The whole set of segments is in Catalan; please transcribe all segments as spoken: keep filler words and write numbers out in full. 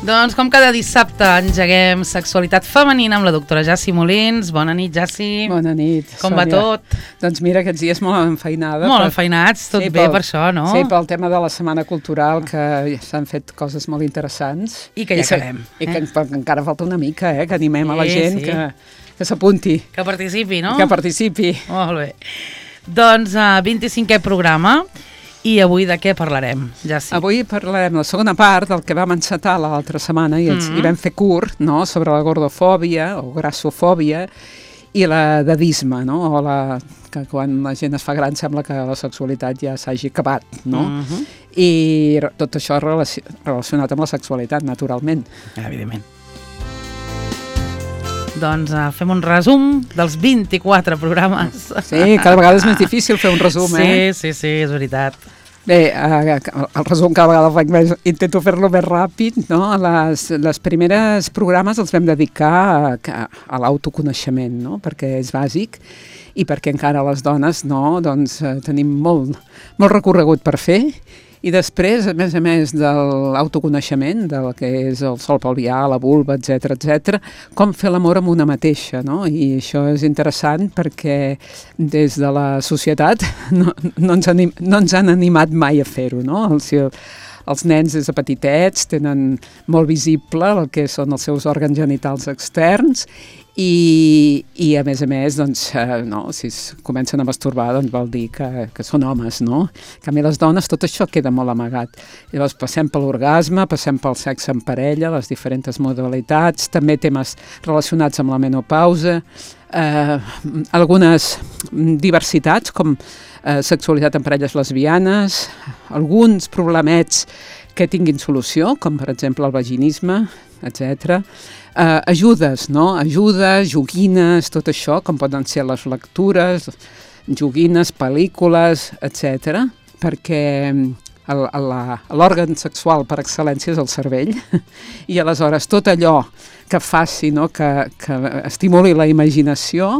Doncs com cada dissabte engeguem Sexualitat Femenina amb la doctora Jassi Molins. Bona nit, Jassi. Bona nit, Com Sònia. va tot? Doncs mira, aquests dies molt enfeinada. Molt per... enfeinats, tot sí, bé pel... per això, no? Sí, pel tema de la Setmana Cultural, que s'han fet coses molt interessants. I que ja I que, acabem. I que, eh? que encara falta una mica, eh? Que animem a la Sí, gent sí. que, que s'apunti. Que participi, no? Que participi. Molt bé. Doncs uh, vint-i-cinquè programa. I avui de què parlarem, Jassi? Avui parlarem la segona part del que vam encetar l'altra setmana i, Mm-hmm. i vam fer curt, no?, sobre la gordofòbia o grassofòbia i la dadisme, no?, o la, que quan la gent es fa gran sembla que la sexualitat ja s'hagi acabat, no? Mm-hmm. I tot això relaci relacionat amb la sexualitat, naturalment. Evidentment. Doncs uh, fem un resum dels vint-i-quatre programes. Sí, cada vegada és més difícil fer un resum, sí, eh? Sí, sí, és veritat. Bé, eh, el resum cada vegada faig més, intento fer-lo més ràpid, no? Les, les primeres programes els vam dedicar a, a l'autoconeixement, no? Perquè és bàsic i perquè encara les dones, no? Doncs eh, tenim molt, molt recorregut per fer. I després, a més a més de l'autoconeixement, del que és el sol pelvià, la vulva, etcètera, etcètera, com fer l'amor amb una mateixa, no? I això és interessant perquè des de la societat no, no, ens, anim, no ens han animat mai a fer-ho, no? Els, els nens des de petitets tenen molt visible el que són els seus òrgans genitals externs i, i a més a més, doncs, eh, no, si es comencen a masturbar, doncs vol dir que, que són homes, no? En canvi, les dones, tot això queda molt amagat. Llavors, passem per l'orgasme, passem pel sexe en parella, les diferents modalitats, també temes relacionats amb la menopausa, eh, algunes diversitats, com eh, sexualitat en parelles lesbianes, alguns problemets que tinguin solució, com per exemple el vaginisme, etcètera. Uh, ajudes, no? Ajudes, joguines, tot això, com poden ser les lectures, joguines, pel·lícules, etcètera, perquè l'òrgan sexual per excel·lència és el cervell i aleshores tot allò que faci, no? que, que estimuli la imaginació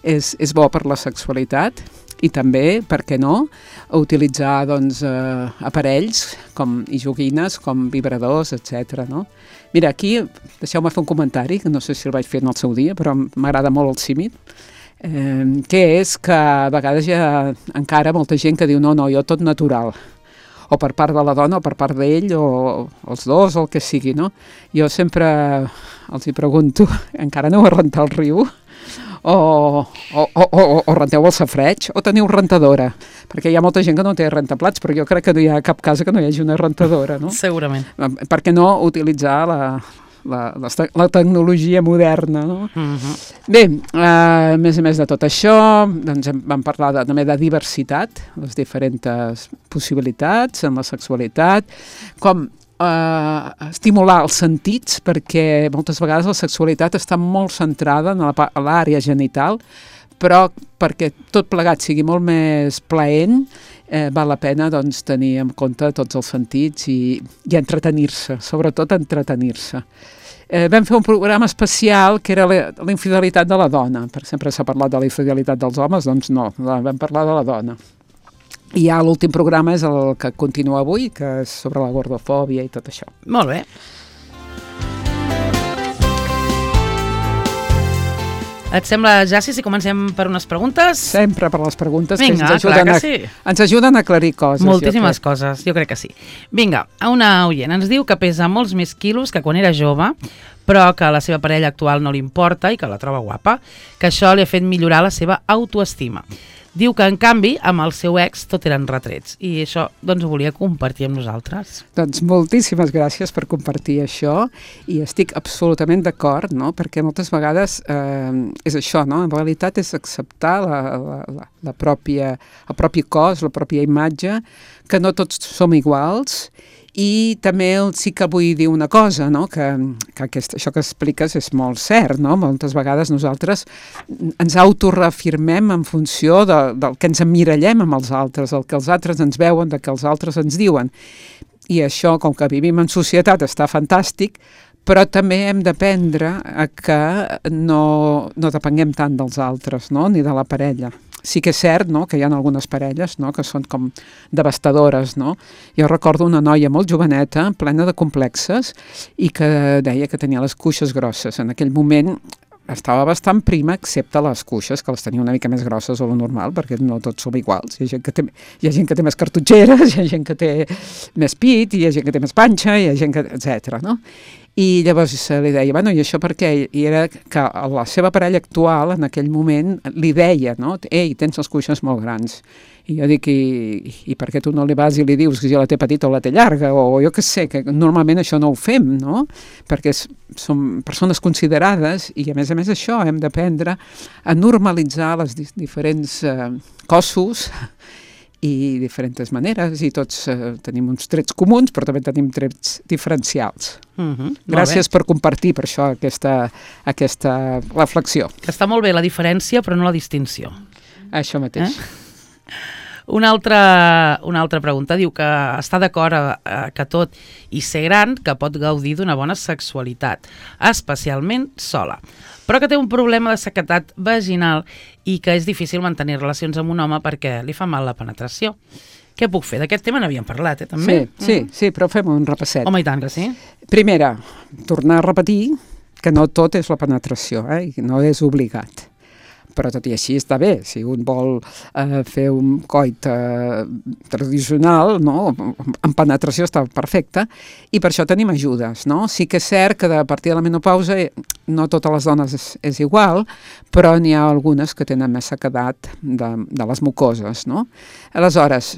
és, és bo per la sexualitat. I també, per què no, utilitzar doncs, eh, aparells com, i joguines com vibradors, etcètera. No? Mira, aquí, deixeu-me fer un comentari, que no sé si el vaig fer en el seu dia, però m'agrada molt el símil, eh, que és que a vegades hi ha encara molta gent que diu no, no, jo tot natural, o per part de la dona o per part d'ell, o els dos, o el que sigui, no? Jo sempre els hi pregunto, encara aneu a rentar el riu? O, o, o, o, o renteu el safreig, o teniu rentadora, perquè hi ha molta gent que no té rentaplats, però jo crec que no hi ha cap casa que no hi hagi una rentadora, no? Segurament. Per què no utilitzar la, la, la, la tecnologia moderna, no? Mm-hmm. Bé, eh, a més a més de tot això, doncs vam parlar de, també de diversitat, les diferents possibilitats en la sexualitat, com Uh, estimular els sentits, perquè moltes vegades la sexualitat està molt centrada en l'àrea genital, però perquè tot plegat sigui molt més plaent, eh, val la pena doncs, tenir en compte tots els sentits i, i entretenir-se, sobretot entretenir-se. Eh, vam fer un programa especial que era la, la infidelitat de la dona, perquè sempre s'ha parlat de la infidelitat dels homes, doncs no, vam parlar de la dona. I ja l'últim programa és el que continua avui, que és sobre la gordofòbia i tot això. Molt bé. Et sembla, Jassi, si comencem per unes preguntes? Sempre per les preguntes. Vinga, que ens ajuden, clar que a, sí. Ens ajuden a aclarir coses. Moltíssimes jo coses, jo crec que sí. Vinga, una oient ens diu que pesa molts més quilos que quan era jove, però que a la seva parella actual no li importa i que la troba guapa, que això li ha fet millorar la seva autoestima. Diu que, en canvi, amb el seu ex tot eren retrets. I això, doncs, ho volia compartir amb nosaltres. Doncs moltíssimes gràcies per compartir això. I estic absolutament d'acord, no? Perquè moltes vegades eh, és això, no? En realitat és acceptar la, la, la, la pròpia, el propi cos, la pròpia imatge, que no tots som iguals. I també sí que vull dir una cosa, no? que, que aquest, això que expliques és molt cert, no? Moltes vegades nosaltres ens autoreafirmem en funció de, del que ens emmirallem amb els altres, el que els altres ens veuen, del que els altres ens diuen. I això, com que vivim en societat, està fantàstic, però també hem d'aprendre a que no, no depenguem tant dels altres, no? Ni de la parella. sí que és cert, no?, que hi ha algunes parelles, no?, que són com devastadores, no? Jo recordo una noia molt joveneta, plena de complexes, i que deia que tenia les cuixes grosses. En aquell moment estava bastant prima, excepte les cuixes, que les tenia una mica més grosses o lo normal, perquè no tots som iguals. Hi ha gent que té, hi ha gent que té més cartutxeres, hi ha gent que té més pit, hi ha gent que té més panxa, hi ha gent que... etcètera, no? I llavors li deia, bueno, i això per què? I era que la seva parella actual, en aquell moment, li deia, no? Ei, tens les cuixes molt grans. I jo dic, i, i per què tu no li vas i li dius que jo la té petita o la té llarga? O jo què sé, que normalment això no ho fem, no? Perquè som persones considerades i, a més a més, això hem d'aprendre a normalitzar les diferents eh, cossos i diferents maneres, i tots eh, tenim uns trets comuns, però també tenim trets diferencials. Uh-huh. Gràcies per compartir per això aquesta, aquesta reflexió. Que està molt bé la diferència, però no la distinció. Això mateix. Eh? Una altra, una altra pregunta diu que està d'acord eh, que tot i ser gran que pot gaudir d'una bona sexualitat, especialment sola, però que té un problema de sequedat vaginal i que és difícil mantenir relacions amb un home perquè li fa mal la penetració. Què puc fer? D'aquest tema n'havíem parlat, eh, també? Sí, sí, mm. sí, però fem un repasset. Home, i tant que sí. Primera, tornar a repetir que no tot és la penetració, eh, i no és obligat. Però tot i així està bé, si un vol eh, fer un coit eh, tradicional, no? En penetració està perfecte, i per això tenim ajudes, no? Sí que és cert que a partir de la menopausa no totes les dones és, és igual, però n'hi ha algunes que tenen més sequedat de, de les mucoses, no? Aleshores,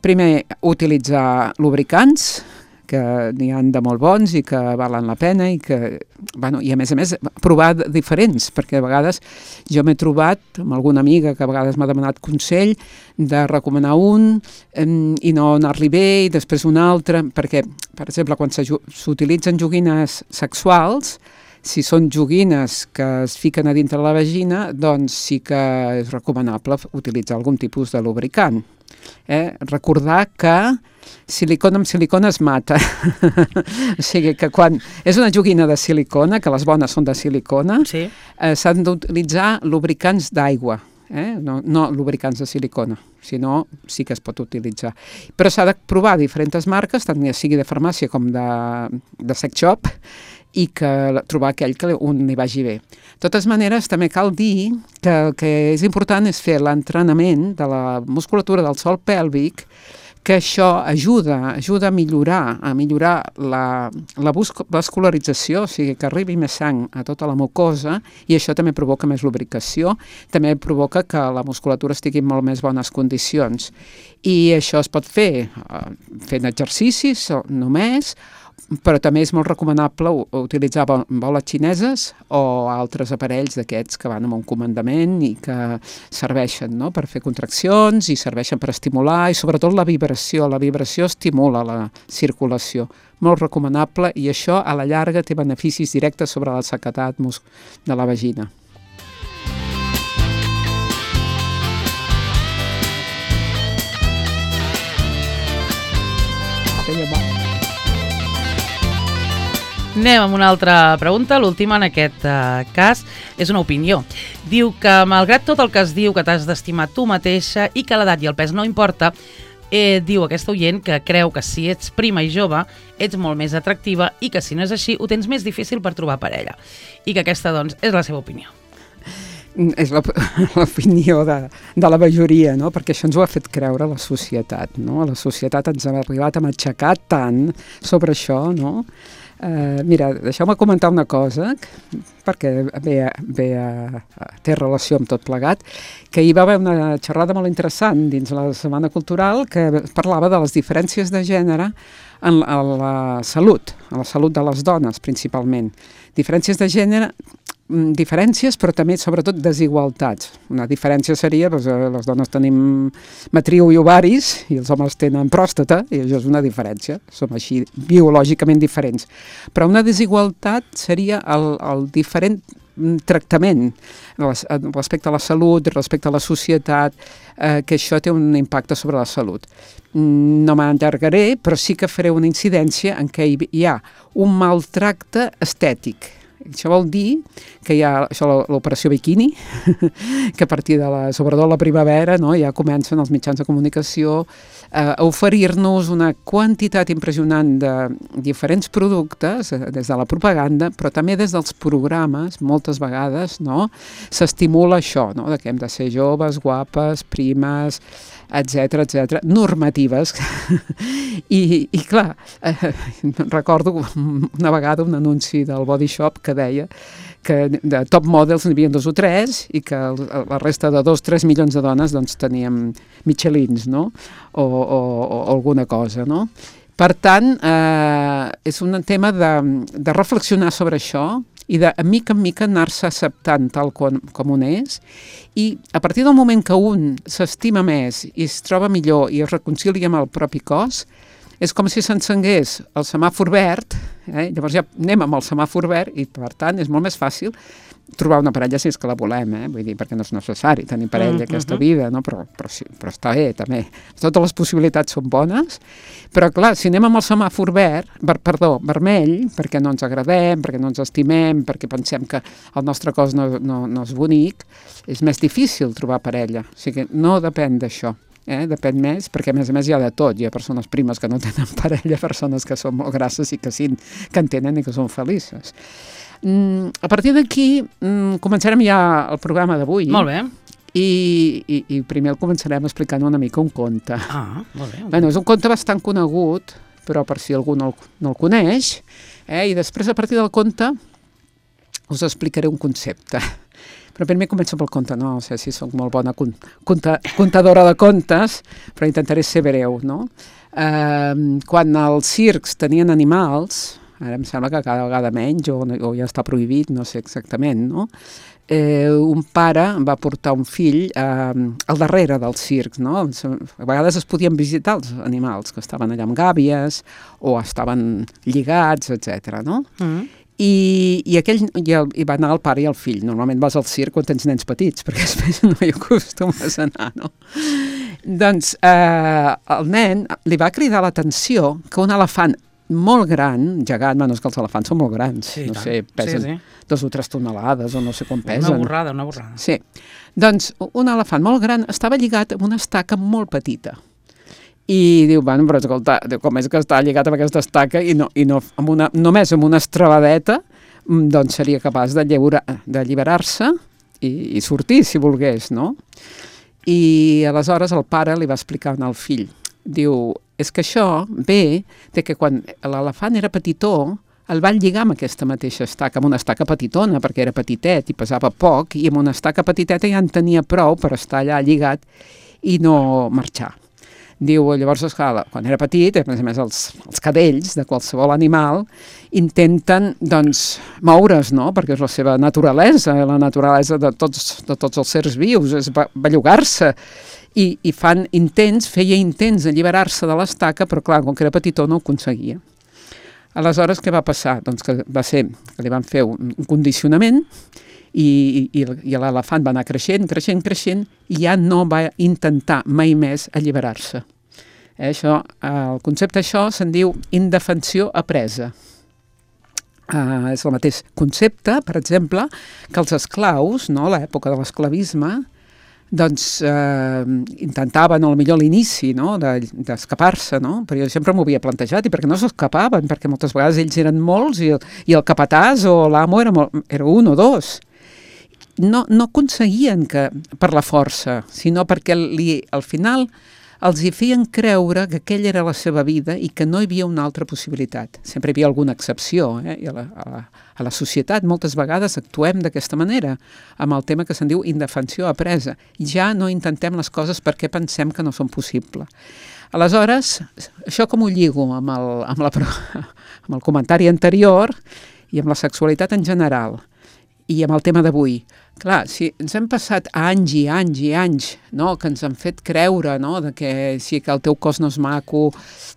primer, utilitzar lubricants, que n'hi ha de molt bons i que valen la pena, i que, bueno, i a més a més provar diferents, perquè a vegades jo m'he trobat amb alguna amiga que a vegades m'ha demanat consell de recomanar un eh, i no anar-li bé, i després un altre, perquè, per exemple, quan s'utilitzen joguines sexuals, si són joguines que es fiquen a dintre la vagina, doncs sí que és recomanable utilitzar algun tipus de lubricant. Eh? Recordar que silicona amb silicona es mata. O sigui que quan és una joguina de silicona, que les bones són de silicona, sí. eh, s'han d'utilitzar lubricants d'aigua, eh? no, no lubricants de silicona, sinó sí que es pot utilitzar. Però s'ha de provar diferents marques, tant ja sigui de farmàcia com de, de sex shop, i que trobar aquell que un li vagi bé. De totes maneres, també cal dir que el que és important és fer l'entrenament de la musculatura del sòl pèlvic, que això ajuda, ajuda a millorar, a millorar la, la vascularització, o sigui, que arribi més sang a tota la mucosa, i això també provoca més lubricació, també provoca que la musculatura estigui en molt més bones condicions. I això es pot fer uh, fent exercicis només, però també és molt recomanable utilitzar boles xineses o altres aparells d'aquests que van amb un comandament i que serveixen, no?, per fer contraccions i serveixen per estimular, i sobretot la vibració. La vibració estimula la circulació. Molt recomanable, i això a la llarga té beneficis directes sobre la sequedat de la vagina. Anem amb una altra pregunta, l'última en aquest uh, cas és una opinió. Diu que malgrat tot el que es diu que t'has d'estimar tu mateixa i que l'edat i el pes no importa, eh, diu aquesta oient que creu que si ets prima i jove ets molt més atractiva i que si no és així ho tens més difícil per trobar parella. I que aquesta, doncs, és la seva opinió. És l'opinió de, de la majoria, no? Perquè això ens ho ha fet creure la societat, no? La societat ens ha arribat a matxacar tant sobre això, no? Uh, mira, deixeu-me comentar una cosa, perquè ve, ve a, a, té relació amb tot plegat, que hi va haver una xerrada molt interessant dins la Setmana Cultural que parlava de les diferències de gènere en, en la salut, en la salut de les dones principalment. Diferències de gènere, diferències, però també, sobretot, desigualtats. Una diferència seria, doncs, les dones tenim matriu i ovaris i els homes tenen pròstata, i això és una diferència. Som així biològicament diferents. Però una desigualtat seria el, el diferent tractament respecte a la salut, respecte a la societat, eh, que això té un impacte sobre la salut. No m'allargaré, però sí que faré una incidència en què hi ha un maltracte estètic. Això vol dir que hi ha això, l'operació biquini, que a partir de la, sobretot la primavera, no, ja comencen els mitjans de comunicació a oferir-nos una quantitat impressionant de diferents productes, des de la propaganda, però també des dels programes, moltes vegades, no, s'estimula això, no, de que hem de ser joves, guapes, primes, etcètera, etcètera, normatives. I, i clar, eh, recordo una vegada un anunci del Body Shop que deia que de top models n'hi havia dos o tres i que la resta de dos, tres milions de dones doncs teníem Michelins, no? O, o, o alguna cosa, no? Per tant, eh, és un tema de, de reflexionar sobre això i de mica en mica anar-se acceptant tal com, com un és, i a partir del moment que un s'estima més i es troba millor i es reconcilia amb el propi cos, és com si s'encengués el semàfor verd, eh? Llavors ja anem amb el semàfor verd i per tant és molt més fàcil trobar una parella si és que la volem, eh? Vull dir, perquè no és necessari tenir parella mm-hmm. aquesta vida, no? però, però, sí, però està bé també, totes les possibilitats són bones, però clar, si anem amb el semàfor verd, ver, perdó, vermell, perquè no ens agradem, perquè no ens estimem, perquè pensem que el nostre cos no, no, no és bonic, és més difícil trobar parella, o sigui, no depèn d'això. Eh? Depèn més, perquè a més a més hi ha de tot, hi ha persones primes que no tenen parella, persones que són molt grasses i que sí, que en tenen i que són felices. Mm, a partir d'aquí mm, començarem ja el programa d'avui. Molt bé. I, i, i primer el començarem explicant una mica un conte. Ah, molt bé. Bueno, és un conte bastant conegut, però per si algú no el, no el coneix, eh? I després a partir del conte us explicaré un concepte. Però primer començo pel conte, no sé si soc molt bona conta, contadora de contes, però intentaré ser breu, no? Eh, quan els circs tenien animals, ara em sembla que cada vegada menys, o, o ja està prohibit, no sé exactament, no? Eh, un pare va portar un fill eh, al darrere dels circs, no? A vegades es podien visitar els animals que estaven allà amb gàbies o estaven lligats, etcètera, no? Mm. I, i, aquell, i, el, i va anar el pare i el fill. Normalment vas al circ quan tens nens petits, perquè després no hi acostumes a anar, no? Doncs eh, el nen li va cridar l'atenció que un elefant molt gran, gegant, bueno, és que els elefants són molt grans, sí, no tant. sé, pesen sí, sí. dos o tres tonelades o no sé com pesen. Una borrada, una borrada. Sí, doncs un elefant molt gran estava lligat amb una estaca molt petita. I diu, bueno, però escolta, com és que està lligat amb aquesta estaca i, no, i no, amb una, només amb una estrabadeta, doncs seria capaç de d'alliberar-se i, i sortir, si volgués, no? I aleshores el pare li va explicar al fill, diu, és que això ve de que quan l'elefant era petitó, el van lligar amb aquesta mateixa estaca, amb una estaca petitona, perquè era petitet i pesava poc, i amb una estaca petiteta ja en tenia prou per estar allà lligat i no marxar. Diu, llavors, esclar, quan era petit, a més a més els, els cadells de qualsevol animal intenten, doncs, moure's, no?, perquè és la seva naturalesa, la naturalesa de tots, de tots els sers vius, és bellugar-se, i, i fan intents, feia intents d'alliberar-se de l'estaca, però clar, com que era petitó no ho aconseguia. Aleshores, què va passar? Doncs que va ser que li van fer un, un condicionament i, i, i l'elefant va anar creixent, creixent, creixent i ja no va intentar mai més alliberar-se. Eh, això, el concepte això se'n diu indefensió apresa. Uh, és el mateix concepte, per exemple, que els esclaus, no, a l'època de l'esclavisme, doncs eh, intentaven, o millor a l'inici, no, d'escapar-se, no? Però jo sempre m'ho havia plantejat, i perquè no s'escapaven, perquè moltes vegades ells eren molts i el, i el capatàs o l'amo era, era un o dos. No, no aconseguien que per la força, sinó perquè li, al final els hi feien creure que aquella era la seva vida i que no hi havia una altra possibilitat. Sempre hi havia alguna excepció, eh? I a la, a la, a la societat moltes vegades actuem d'aquesta manera, amb el tema que se'n diu indefensió apresa. Ja no intentem les coses perquè pensem que no són possibles. Aleshores, això com ho lligo amb el, amb la, amb el comentari anterior i amb la sexualitat en general i amb el tema d'avui. Clar, si ens hem passat anys i anys i anys, no?, que ens han fet creure, no?, de que sí, que el teu cos no és maco,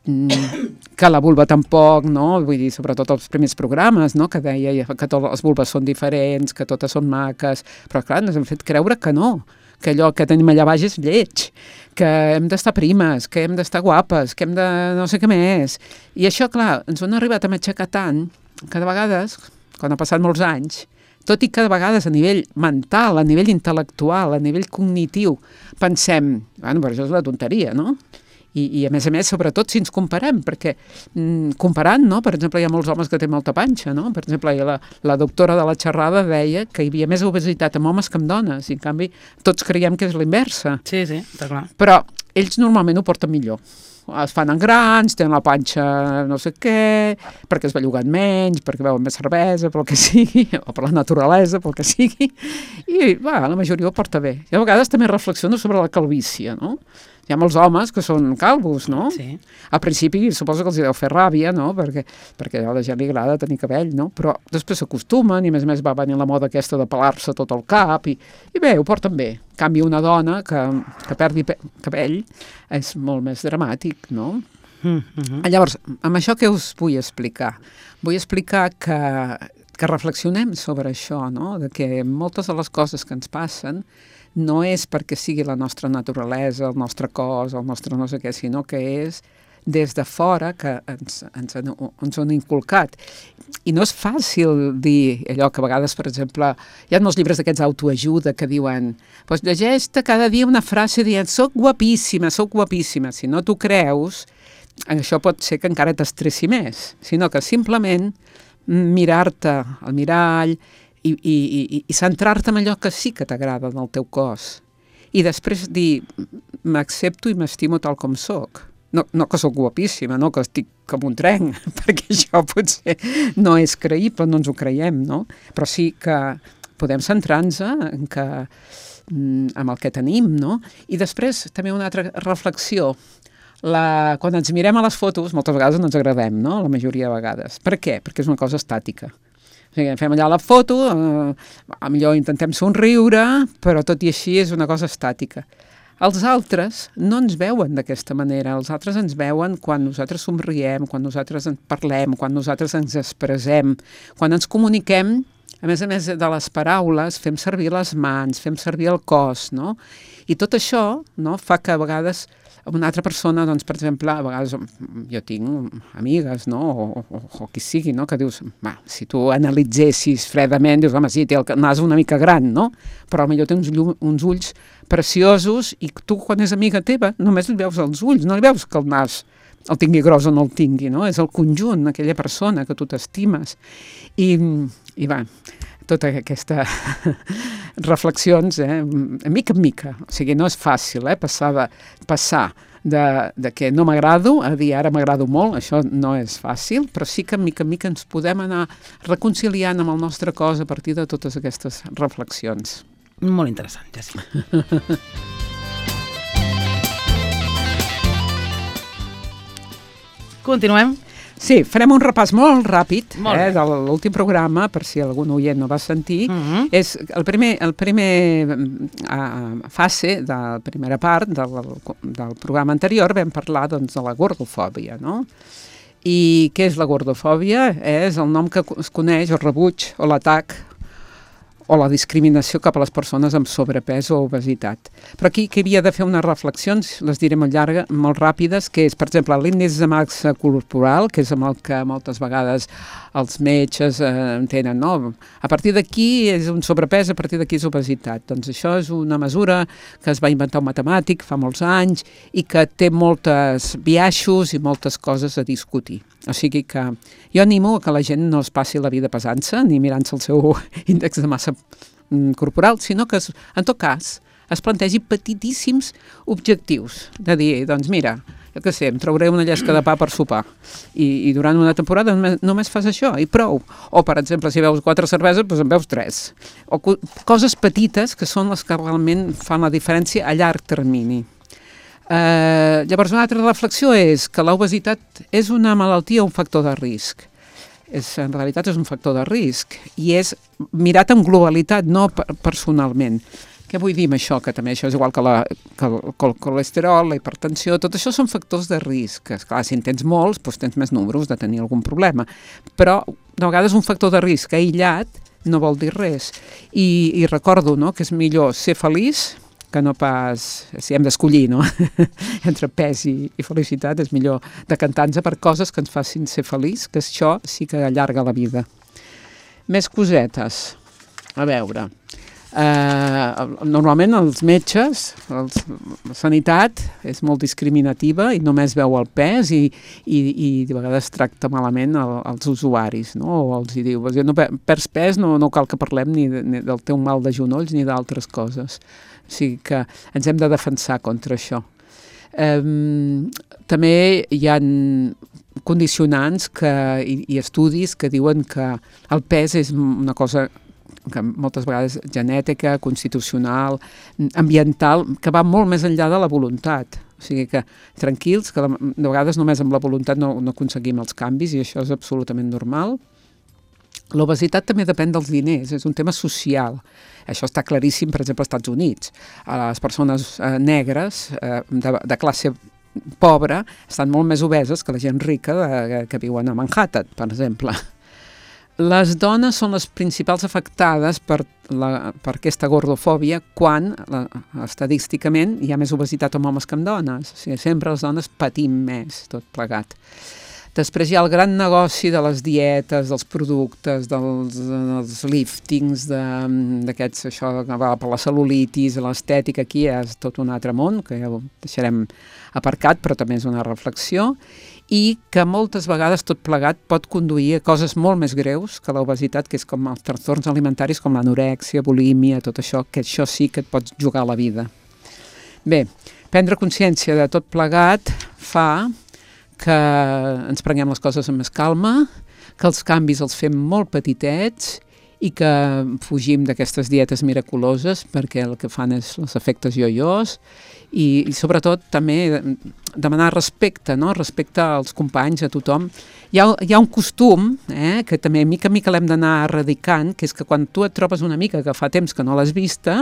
que la vulva tampoc, no?, vull dir, sobretot els primers programes, no?, que deia que totes les vulves són diferents, que totes són maques, però clar, ens han fet creure que no, que allò que tenim allà baix és lleig, que hem d'estar primes, que hem d'estar guapes, que hem de no sé què més. I això, clar, ens ho han arribat a matxacar tant que de vegades, quan ha passat molts anys, tot i que de vegades a nivell mental, a nivell intel·lectual, a nivell cognitiu, pensem, bueno, però això és una tonteria, no? I, i a més a més, sobretot si ens comparem, perquè mm, comparant, no? Per exemple, hi ha molts homes que tenen molta panxa, no? Per exemple, la, la doctora de la xerrada deia que hi havia més obesitat amb homes que amb dones, i en canvi tots creiem que és l'inversa. Sí, sí, està clar. Però ells normalment ho porten millor. Es fan en grans, tenen la panxa no sé què, perquè es belluguen menys, perquè beuen més cervesa, pel que sigui, o per la naturalesa, pel que sigui, i va, la majoria ho porta bé. I a vegades també reflexiono sobre la calvície, no? Hi ha molts homes que són calvos, no? Sí. Al principi suposo que els hi deu fer ràbia, no? Perquè, perquè a la gent li agrada tenir cabell, no? Però després s'acostumen i a més a més va venir la moda aquesta de pelar-se tot el cap i, i bé, ho porten bé. En canvi, una dona que, que perdi cabell és molt més dramàtic, no? Mm-hmm. Llavors, amb això què us vull explicar? Vull explicar que, que reflexionem sobre això, no? De que moltes de les coses que ens passen no és perquè sigui la nostra naturalesa, el nostre cos, el nostre no sé què, sinó que és des de fora que ens, ens, han, ens han inculcat. I no és fàcil dir allò que a vegades, per exemple, hi ha molts llibres d'aquests autoajuda que diuen pues llegeix-te cada dia una frase dient soc guapíssima, soc guapíssima. Si no t'ho creus, això pot ser que encara t'estressi més, sinó que simplement mirar-te al mirall i, i, i, i centrar-te en allò que sí que t'agrada del teu cos. I després dir, m'accepto i m'estimo tal com soc. No, no que soc guapíssima, no que estic com un tren, perquè això potser no és creïble, no ens ho creiem, no? Però sí que podem centrar-nos en que, amb el que tenim, no? I després també una altra reflexió. La, quan ens mirem a les fotos, moltes vegades no ens agradem, no? La majoria de vegades. Per què? Perquè és una cosa estàtica. O sigui, fem allà la foto, eh, millor intentem somriure, però tot i així és una cosa estàtica. Els altres no ens veuen d'aquesta manera, els altres ens veuen quan nosaltres somriem, quan nosaltres en parlem, quan nosaltres ens expressem, quan ens comuniquem, a més a més de les paraules, fem servir les mans, fem servir el cos, no? I tot això, no, fa que a vegades una altra persona, doncs, per exemple, a vegades jo tinc amigues, no?, o, o, o qui sigui, no?, que dius, va, si tu analitzessis fredament, dius, home, sí, té el nas una mica gran, no?, però potser té uns, uns ulls preciosos i tu, quan és amiga teva, només li veus els ulls, no li veus que el nas el tingui gros o no el tingui, no?, és el conjunt, aquella persona que tu t'estimes. I, i va, tota aquesta reflexions, eh, mica en mica. O sigui, no és fàcil, eh, passar de, passar de, de que no m'agrado a dir ara m'agrado molt, això no és fàcil, però sí que mica en mica ens podem anar reconciliant amb el nostre cos a partir de totes aquestes reflexions. Molt interessant, Jessi. Continuem? Sí, farem un repàs molt ràpid molt eh, de l'últim programa, per si algun oient no va sentir. Uh-huh. És el primer, el primer uh, fase de la primera part del, del programa anterior vam parlar doncs, de la gordofòbia, no? I què és la gordofòbia? És el nom que es coneix, el rebuig o l'atac o la discriminació cap a les persones amb sobrepès o obesitat. Però aquí que havia de fer unes reflexions, les diré molt llargues, molt ràpides, que és, per exemple, l'índex de massa corporal, que és amb el que moltes vegades els metges eh, entenen, no? A partir d'aquí és un sobrepès, a partir d'aquí és obesitat. Doncs això és una mesura que es va inventar un matemàtic fa molts anys i que té moltes biaixos i moltes coses a discutir. O sigui que jo animo a que la gent no es passi la vida pesant-se ni mirant-se el seu índex de massa corporal, sinó que, es, en tot cas, es plantegi petitíssims objectius. De dir, doncs mira, jo què sé, em trauré una llesca de pa per sopar i, i durant una temporada només, només fas això i prou. O, per exemple, si veus quatre cerveses, doncs en veus tres. O co- coses petites que són les que realment fan la diferència a llarg termini. Uh, llavors una altra reflexió és que l'obesitat és una malaltia o un factor de risc. És, en realitat és un factor de risc i és mirat amb globalitat, no per, personalment. Què vull dir amb això? Que també això és igual que, la, que, el, que el colesterol, la hipertensió, tot això són factors de risc. Esclar, si en tens molts, doncs tens més números de tenir algun problema. Però de vegades un factor de risc aïllat no vol dir res. I, i recordo, no?, que és millor ser feliç que no pas, si hem d'escollir, no? Entre pes i, i felicitat, és millor decantar-nos per coses que ens facin ser feliç, que això sí que allarga la vida. Més cosetes. A veure, eh, normalment els metges, els, la sanitat és molt discriminativa i només veu el pes i, i, i de vegades tracta malament el, els usuaris, no? O els hi diu, no perds pes, no, no cal que parlem ni, de, ni del teu mal de genolls ni d'altres coses. O sigui que ens hem de defensar contra això. Eh, també hi ha condicionants que, i, i estudis que diuen que el pes és una cosa que moltes vegades genètica, constitucional, ambiental, que va molt més enllà de la voluntat. O sigui que tranquils, que de vegades només amb la voluntat no, no aconseguim els canvis i això és absolutament normal. L'obesitat també depèn dels diners, és un tema social. Això està claríssim, per exemple, als Estats Units. Les persones eh, negres eh, de, de classe pobra estan molt més obeses que la gent rica de, que viuen a Manhattan, per exemple. Les dones són les principals afectades per, la, per aquesta gordofòbia quan, la, estadísticament, hi ha més obesitat en homes que en dones. O sigui, sempre les dones patim més, tot plegat. Després hi ha el gran negoci de les dietes, dels productes, dels, dels liftings, d'aquests, això que va per la cel·lulitis, l'estètica, aquí és tot un altre món, que ja ho deixarem aparcat, però també és una reflexió, i que moltes vegades tot plegat pot conduir a coses molt més greus que l'obesitat, que és com els trastorns alimentaris com l'anorèxia, bulímia, tot això, que això sí que et pots jugar a la vida. Bé, prendre consciència de tot plegat fa que ens prenguem les coses amb més calma, que els canvis els fem molt petitets i que fugim d'aquestes dietes miraculoses perquè el que fan és els efectes ioiós i, i sobretot també demanar respecte, no? Respecte als companys, a tothom. Hi ha, hi ha un costum eh, que també mica a mica l'hem d'anar erradicant, que és que quan tu et trobes una amiga que fa temps que no l'has vista,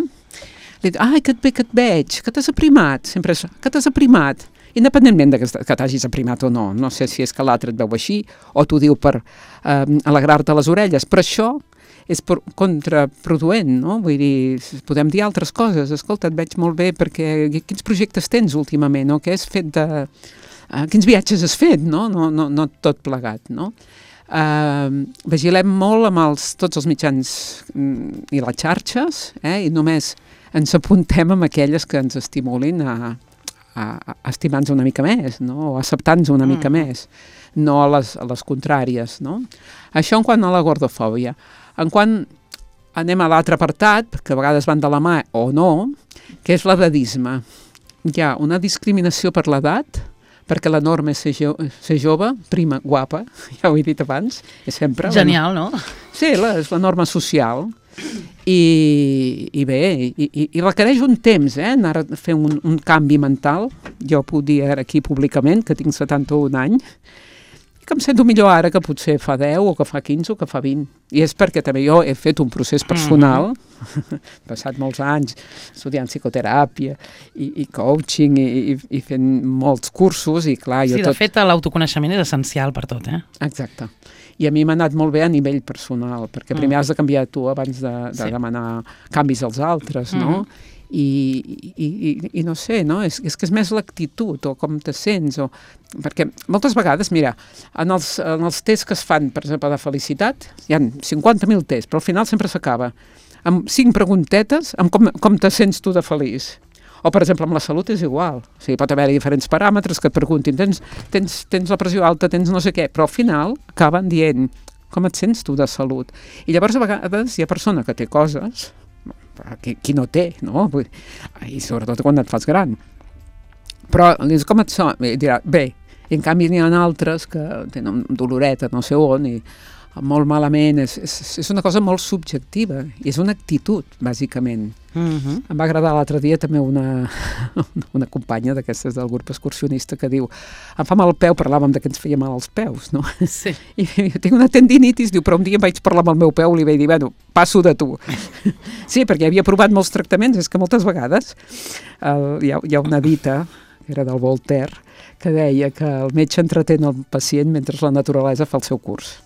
li dius, ai, que et, que et veig, que t'has aprimat, sempre és, que t'has aprimat. Independentment de que, que t'hagis aprimat o no, no sé si és que l'altre et veu així o t'ho diu per eh, alegrar-te les orelles, però això és per, contraproduent, no? Vull dir, podem dir altres coses, escolta, et veig molt bé perquè quins projectes tens últimament, no? Què has fet de... Uh, quins viatges has fet, no? No, no, no tot plegat, no? Uh, vigilem molt amb els, tots els mitjans mm, i les xarxes, eh? I només ens apuntem amb aquelles que ens estimulin a a, a estimar-nos una mica més, no? O acceptar-nos una mm. mica més, no a les, a les contràries, no? Això en quant a la gordofòbia. En quant anem a l'altre apartat, que a vegades van de la mà o no, que és l'edadisme. Hi ha una discriminació per l'edat, perquè la norma és ser, jo, ser jove, prima, guapa, ja ho he dit abans, és sempre... Genial, no? Sí, la, és la norma social. I, i bé, i, i, i requereix un temps, eh, anar a fer un, un canvi mental. Jo puc dir aquí públicament que tinc setanta-un anys, i que em sento millor ara que potser fa deu o que fa quinze o que fa vint. I és perquè també jo he fet un procés personal, mm-hmm. passat molts anys estudiant psicoteràpia i, i coaching i, i, i fent molts cursos i clar... Sí, jo de tot... fet l'autoconeixement és essencial per tot, eh? Exacte. I a mi m'ha anat molt bé a nivell personal, perquè primer mm. has de canviar tu abans de, de sí. demanar canvis als altres, no? Mm. I, i, i, i no sé, no? És, és que és més l'actitud o com te sents, o... perquè moltes vegades, mira, en els, en els tests que es fan, per exemple, de felicitat, hi ha cinquanta mil tests, però al final sempre s'acaba amb cinc preguntetes amb com, com te sents tu de feliç. O, per exemple, amb la salut és igual. O sigui, pot haver-hi diferents paràmetres que et preguntin, tens, tens, tens la pressió alta, tens no sé què, però al final acaben dient com et sents tu de salut. I llavors a vegades hi ha persona que té coses, qui, qui no té, no? I sobretot quan et fas gran. Però dius, com et sona? I dirà, bé, i en canvi n'hi ha altres que tenen doloreta no sé on i molt malament, és, és, és una cosa molt subjectiva, i és una actitud, bàsicament. Uh-huh. Em va agradar l'altre dia també una, una companya d'aquestes del grup excursionista que diu, em fa mal el peu, parlàvem de que ens feia mal els peus, no? Sí. I jo tinc una tendinitis, diu, però un dia em vaig parlar amb el meu peu i li vaig dir, bueno, passo de tu. Sí, perquè havia provat molts tractaments, és que moltes vegades el, hi, ha, hi ha una dita, que era del Voltaire, que deia que el metge entretén el pacient mentre la naturalesa fa el seu curs.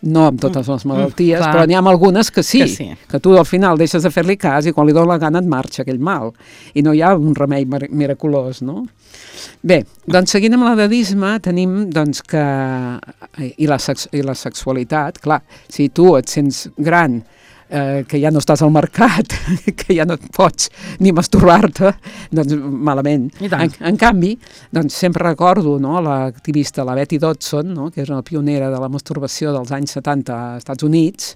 No amb totes les malalties, mm, però n'hi ha algunes que sí, que sí, que tu al final deixes de fer-li cas i quan li dona la gana et marxa aquell mal. I no hi ha un remei miraculós, no? Bé, doncs seguint amb l'edadisme tenim doncs que... I la, sex... i la sexualitat, clar, si tu et sents gran, eh, que ja no estàs al mercat, que ja no et pots ni masturbar-te, doncs malament. En, en canvi, doncs sempre recordo, no, l'activista, la Betty Dodson, no, que és una pionera de la masturbació dels anys setanta als Estats Units,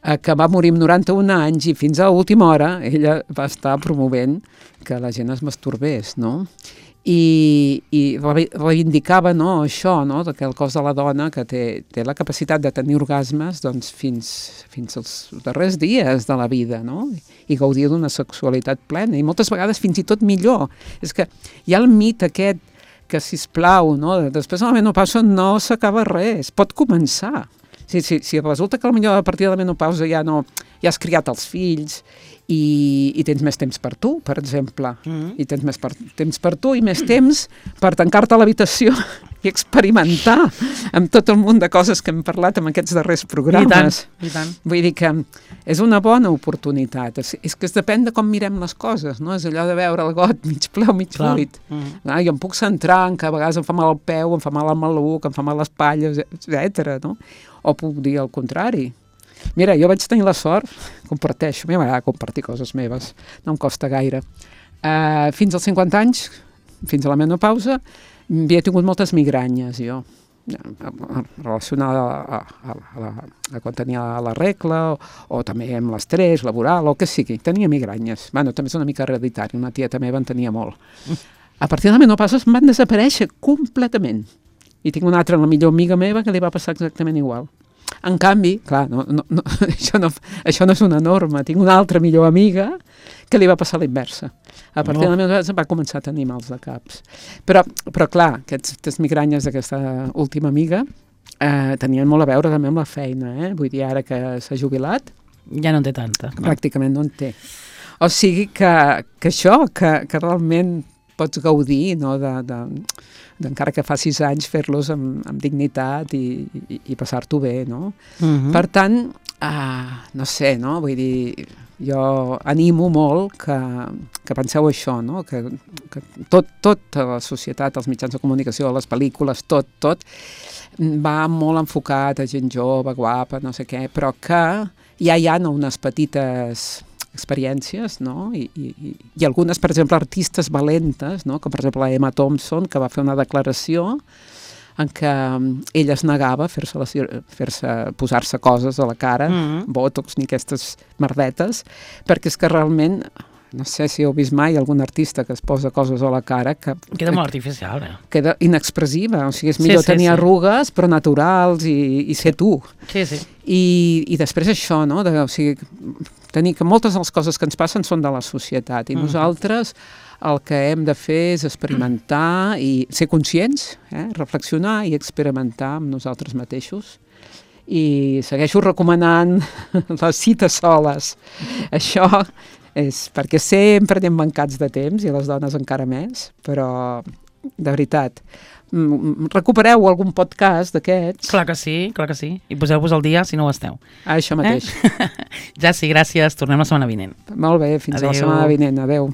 eh, que va morir amb noranta-un anys i fins a l'última hora ella va estar promovent que la gent es masturbés, no? i, i reivindicava, no, això, no, que el cos de la dona que té, té la capacitat de tenir orgasmes doncs, fins, fins als darrers dies de la vida, no? I gaudir d'una sexualitat plena i moltes vegades fins i tot millor. És que hi ha el mit aquest que, sisplau, no, després de la menopausa no s'acaba res, pot començar. Si, si, si resulta que potser a partir de la menopausa ja, no, ja has criat els fills i, i tens més temps per tu, per exemple, mm-hmm. i tens més per, temps per tu i més temps per tancar-te a l'habitació i experimentar amb tot el munt de coses que hem parlat en aquests darrers programes. I tant, i tant. Vull dir que és una bona oportunitat. És, és que es depèn de com mirem les coses, no? És allò de veure el got mig ple o mig buit. Mm-hmm. Ah, jo em puc centrar en que a vegades em fa mal el peu, em fa mal el maluc, em fa mal les palles, etcètera, no? O puc dir el contrari. Mira, jo vaig tenir la sort, comparteixo, a mi m'agrada compartir coses meves, no em costa gaire. Uh, fins als cinquanta anys, fins a la menopausa, havia tingut moltes migranyes, jo, relacionada a, a, a, a, a quan tenia la regla, o, o també amb l'estrès laboral, o que sigui, tenia migranyes. Bueno, també és una mica hereditari, una tieta meva en tenia molt. A partir de la menopausa em van desaparèixer completament. I tinc una altra, la millor amiga meva, que li va passar exactament igual. En canvi, clar, no, no, no, això, no, això no és una norma. Tinc una altra millor amiga que li va passar la inversa. A partir no. de la meva va començar a tenir mals de caps. Però, però clar, aquestes migranyes d'aquesta última amiga eh, tenien molt a veure també amb la feina. Eh? Vull dir, ara que s'ha jubilat... Ja no en té tanta. Pràcticament no en té. O sigui que, que això, que, que realment pots gaudir, no?, de... de encara que facis anys, fer-los amb, amb dignitat i, i, i passar-t'ho bé, no? Uh-huh. Per tant, uh, no sé, no? Vull dir, jo animo molt que, que penseu això, no? Que, que tot, tota la societat, els mitjans de comunicació, les pel·lícules, tot, tot, va molt enfocat a gent jove, guapa, no sé què, però que ja hi ha unes petites experiències, no? I, i, i algunes, per exemple, artistes valentes, no? Com per exemple la Emma Thompson, que va fer una declaració en què ella es negava a fer-se, fer-se posar-se coses a la cara, mm-hmm. botox ni aquestes merdetes, perquè és que realment, no sé si heu vist mai algun artista que es posa coses a la cara que... Queda molt artificial, eh? Queda inexpressiva, o sigui, és millor sí, sí, tenir sí. arrugues, però naturals i, i ser tu. Sí, sí. I, i després això, no? De, o sigui, tenir que moltes de les coses que ens passen són de la societat i mm. nosaltres el que hem de fer és experimentar i ser conscients, eh? Reflexionar i experimentar amb nosaltres mateixos. I segueixo recomanant les cites soles. Això és perquè sempre anem mancats de temps i les dones encara més, però de veritat, recupereu algun podcast d'aquests. Clar que sí, clar que sí. I poseu-vos al dia si no ho esteu. Ah, això mateix. Eh? Ja sí, gràcies. Tornem la setmana vinent. Molt bé, fins Adeu. A la setmana vinent. Adeu.